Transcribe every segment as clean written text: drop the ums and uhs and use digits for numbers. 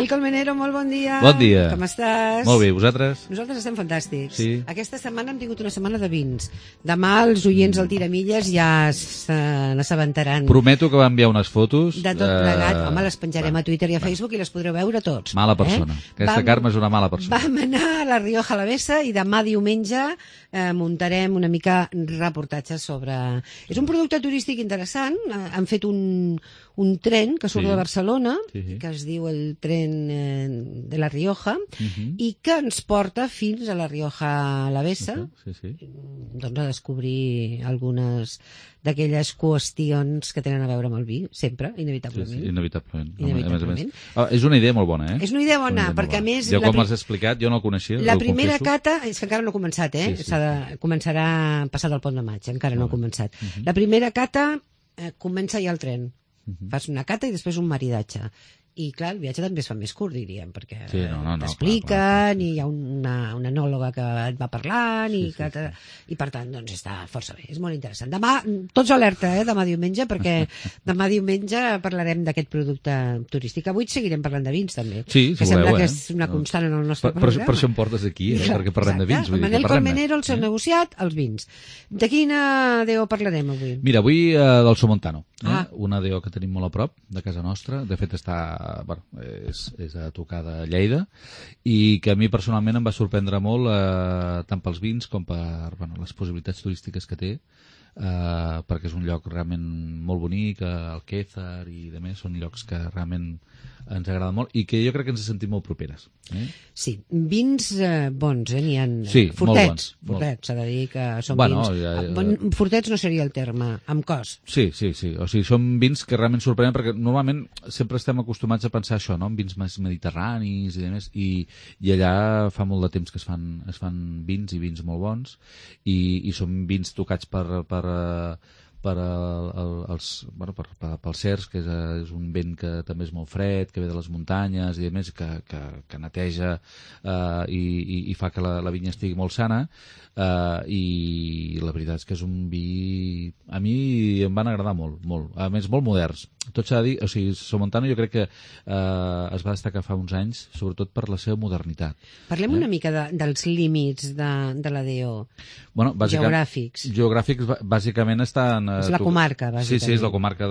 Manel Colmenero, molt bon dia. Bon dia. Com estàs? Molt bé, vosaltres? Nosaltres estem fantàstics. Sí. Aquesta setmana hem tingut una setmana de vins. Demà els oients al Tiramilles ja se n'assabentaran. Prometo que va enviar unes fotos. De tot plegat. Home, les penjarem a Twitter i a Facebook i les podreu veure tots. Mala persona. Aquesta Carme és una mala persona. Vam anar a la Rioja Alavesa i demà diumenge muntarem una mica reportatge sobre... És un producte turístic interessant. Han fet un tren que surt de Barcelona, que es diu el tren de la Rioja, i que ens porta fins a la Rioja Alavesa, doncs a descobrir algunes d'aquelles qüestions que tenen a veure amb el vi, sempre, inevitablement. Inevitablement. És una idea molt bona, És una idea bona, perquè a més... Jo, com has explicat, jo no el coneixia. La primera cata, és que encara no ha començat, començarà passat el pont de maig, encara no ha començat. La primera cata comença ja el tren. Fas una cata i després un maridatge. I clar, el viatge també es fa més curt, diríem, perquè t'expliquen i hi ha una enòloga que et va parlant i per tant, doncs està força bé, és molt interessant. Demà, tots alerta, demà diumenge, perquè demà diumenge parlarem d'aquest producte turístic. Avui seguirem parlant de vins, també. Sí, que sembla que és una constant en el nostre programa. Per això em portes aquí, perquè parlem de vins. Manel Colmenero, el seu negociat, els vins. De quina DO parlarem avui? Mira, avui del Somontano, una DO que tenim molt a prop de casa nostra, de fet està és a tocar de Lleida, i que a mi personalment em va sorprendre molt tant pels vins com per les possibilitats turístiques que té, perquè és un lloc realment molt bonic, el Quézar i demés són llocs que realment ens agraden molt i que jo crec que ens sentim molt properes. Sí, vins bons, n'hi ha fortets, s'ha de dir que són vins... Fortets no seria el terme, amb cos. Sí, o sigui, són vins que realment sorprenen, perquè normalment sempre estem acostumats a pensar això, no?, en vins més mediterranis i demés, i allà fa molt de temps que es fan vins i vins molt bons, i són vins tocats pel cerç, que és un vent que també és molt fred, que ve de les muntanyes i a més que neteja i fa que la vinya estigui molt sana, i la veritat és que és un vi, a mi em van agradar molt, a més molt moderns. Tot s'ha de dir, o sigui, Somontano jo crec que es va destacar fa uns anys, sobretot per la seva modernitat. Parlem una mica dels límits de la DO, geogràfics. Geogràfics, bàsicament estan... És la comarca, bàsicament. Sí, és la comarca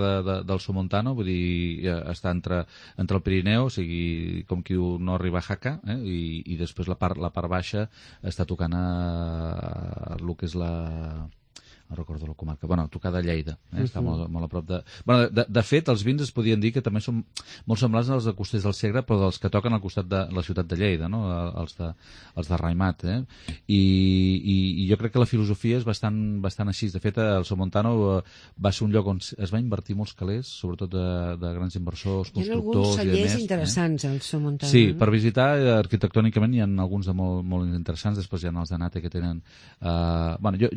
del Somontano, vull dir, està entre el Pirineu, o sigui, com qui diu, no arriba a Jaca, i després la part baixa està tocant a el que és no recordo la comarca, tocar de Lleida, està molt a prop de... De fet, els vins es podien dir que també són molt semblants als de Costers del Segre, però dels que toquen al costat de la ciutat de Lleida, no?, els de Raimat, i jo crec que la filosofia és bastant així. De fet, el Somontano va ser un lloc on es va invertir molts calés, sobretot de grans inversors, constructors i demés. Hi ha alguns cellers interessants, al Somontano. Sí, per visitar, arquitectònicament hi ha alguns de molt interessants, després hi ha els de Nate que tenen...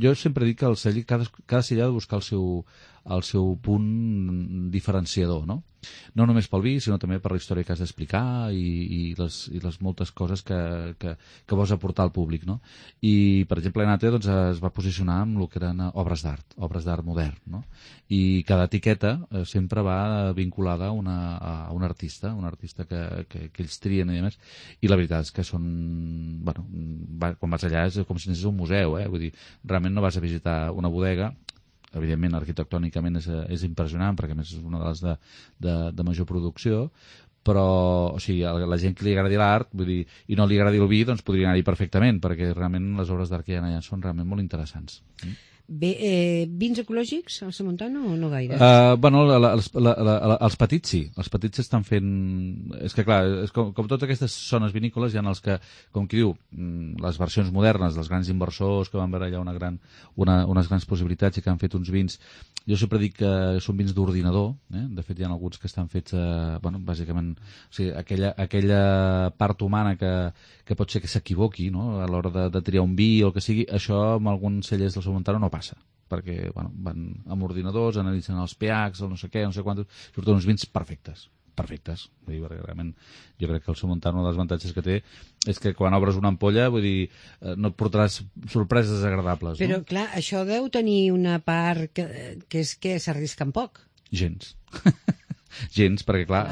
Jo sempre dic que el celler cada celler ha de buscar el seu punt diferenciador, no? No només pel vi, sinó també per la història que has d'explicar i les moltes coses que vols aportar al públic, no? I, per exemple, Nate es va posicionar amb el que eren obres d'art modern, no? I cada etiqueta sempre va vinculada a un artista que ells trien i demés, i la veritat és que són... quan vas allà és com si anessis a un museu, vull dir, realment no vas a visitar una bodega. Evidentment, arquitectònicament és impressionant, perquè a més és una de les de major producció, però, o sigui, a la gent que li agradi l'art, vull dir, i no li agradi el vi, doncs podria anar-hi perfectament, perquè realment les obres d'art que hi ha allà són realment molt interessants. Bé, vins ecològics al Somontano o no gaire? Els petits sí, els petits s'estan fent... És que clar, com totes aquestes zones vinícoles hi ha els que, com qui diu, les versions modernes dels grans inversors que van veure allà unes grans possibilitats i que han fet uns vins. Jo sempre dic que són vins d'ordinador, de fet hi ha alguns que estan fets, bàsicament, o sigui, aquella part humana que pot ser que s'equivoqui, no?, a l'hora de triar un vi o el que sigui, això amb alguns cellers del Somontano no passa, perquè van amb ordinadors, analitzen els pHs, el no sé què, no sé quantos, surten uns vins perfectes. Vull dir, realment, jo crec que el Somontano, un dels avantatges que té és que quan obres una ampolla, vull dir, no et portaràs sorpreses desagradables. Però, no? Clar, això deu tenir una part que és que s'arrisquen poc. Gens. gens, perquè clar...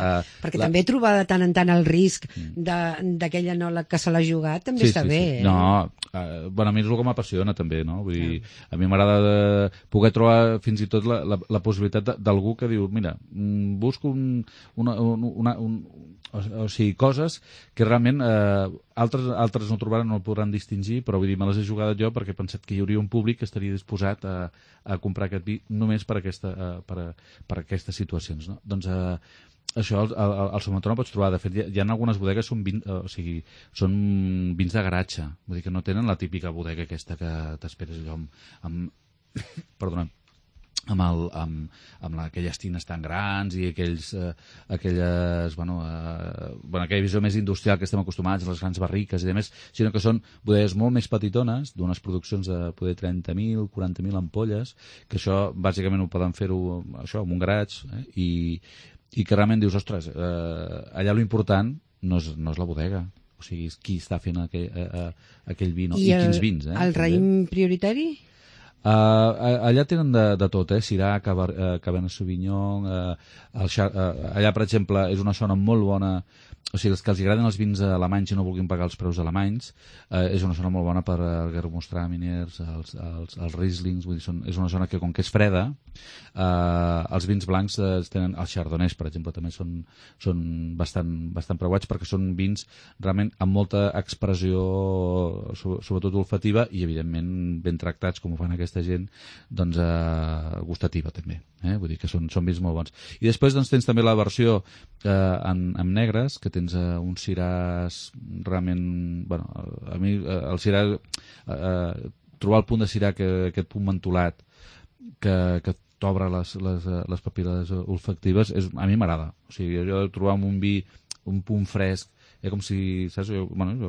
Perquè també trobar de tant en tant el risc d'aquell anòleg que se l'ha jugat també està bé. No, bueno, a mi és el que m'apassiona també, no? Vull dir, a mi m'agrada poder trobar fins i tot la possibilitat d'algú que diu, mira, busco o sigui, coses que realment altres no trobaran, no el podran distingir, però vull dir, me les he jugat jo perquè he pensat que hi hauria un públic que estaria disposat a comprar aquest vi només per aquestes situacions, no? Doncs això al Somontà no pots trobar. De fet, hi ha algunes bodegues són vins de garatge, vull dir que no tenen la típica bodega aquesta que t'esperes allò amb aquelles tines tan grans i aquella visió més industrial que estem acostumats, les grans barriques i demés, sinó que són bodegues molt més petitones, d'unes produccions de poder 30.000, 40.000 ampolles, que això bàsicament ho poden fer-ho això, amb un garatge, i que realment dius, ostres, allà l'important no és la bodega, o sigui, és qui està fent aquell vi, no? I quins vins. El raïm prioritari? Allà tenen de tot, Syrah, Cabernet Sauvignon, allà, per exemple, és una zona molt bona, o sigui, els que els agraden els vins alemanys i no vulguin pagar els preus alemanys, és una zona molt bona per Gewürztraminers, els Rieslings, vull dir, és una zona que, com que és freda, els vins blancs tenen, els chardonnays, per exemple, també són bastant preuats perquè són vins realment amb molta expressió, sobretot olfativa, i evidentment ben tractats, com ho fan aquesta gent, doncs gustativa també, vull dir que són vins molt bons. I després doncs tens també la versió amb negres, que tens uns Syrahs realment, bueno, a mi el Syrah, trobar el punt de Syrah, aquest punt mentolat que t'obre les papil·les olfactives, a mi m'agrada. O sigui, jo trobar un vi un punt fresc, com si, saps?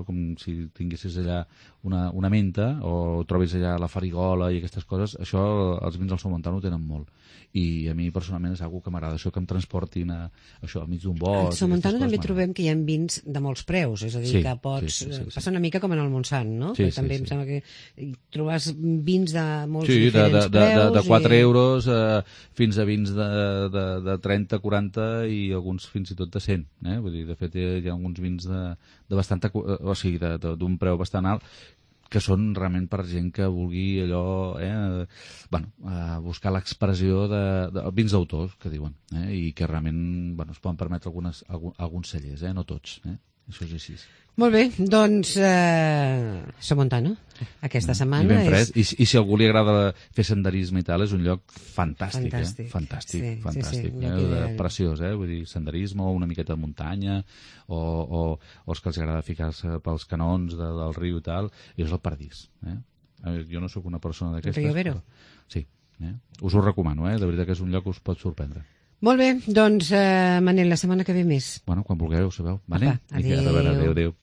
Com si tinguessis allà una menta o trobis allà la farigola i aquestes coses, això els vins del Somontà ho tenen molt. I a mi personalment és algo que m'agrada, això que em transportin això al mig d'un bosc. Al Somontà també trobem que hi ha vins de molts preus, és a dir, que pots... Passa una mica com en el Montsant, no? També em sembla que trobes vins de molts diferents preus. De 4 euros fins a vins de 30, 40 i alguns fins i tot de 100. Vull dir, de fet, hi ha alguns vins de bastanta... o sigui, d'un preu bastant alt, que són realment per gent que vulgui allò, buscar l'expressió de vins d'autors, que diuen, i que realment es poden permetre alguns cellers, no tots. Això és així. Molt bé, doncs Somontà, no? Aquesta setmana I ben fred. I si a algú li agrada fer senderisme i tal, és un lloc fantàstic. Fantàstic. Preciós, vull dir, senderisme o una miqueta de muntanya o els que els agrada ficar-se pels canons del riu i tal, i és el paradís. Jo no sóc una persona d'aquestes. Rio Vero. Sí, us ho recomano, de veritat que és un lloc que us pot sorprendre. Molt bé, doncs, Manel, la setmana que ve més. Bueno, quan vulgueu, sabeu. Vale? Apa, adéu. Adéu.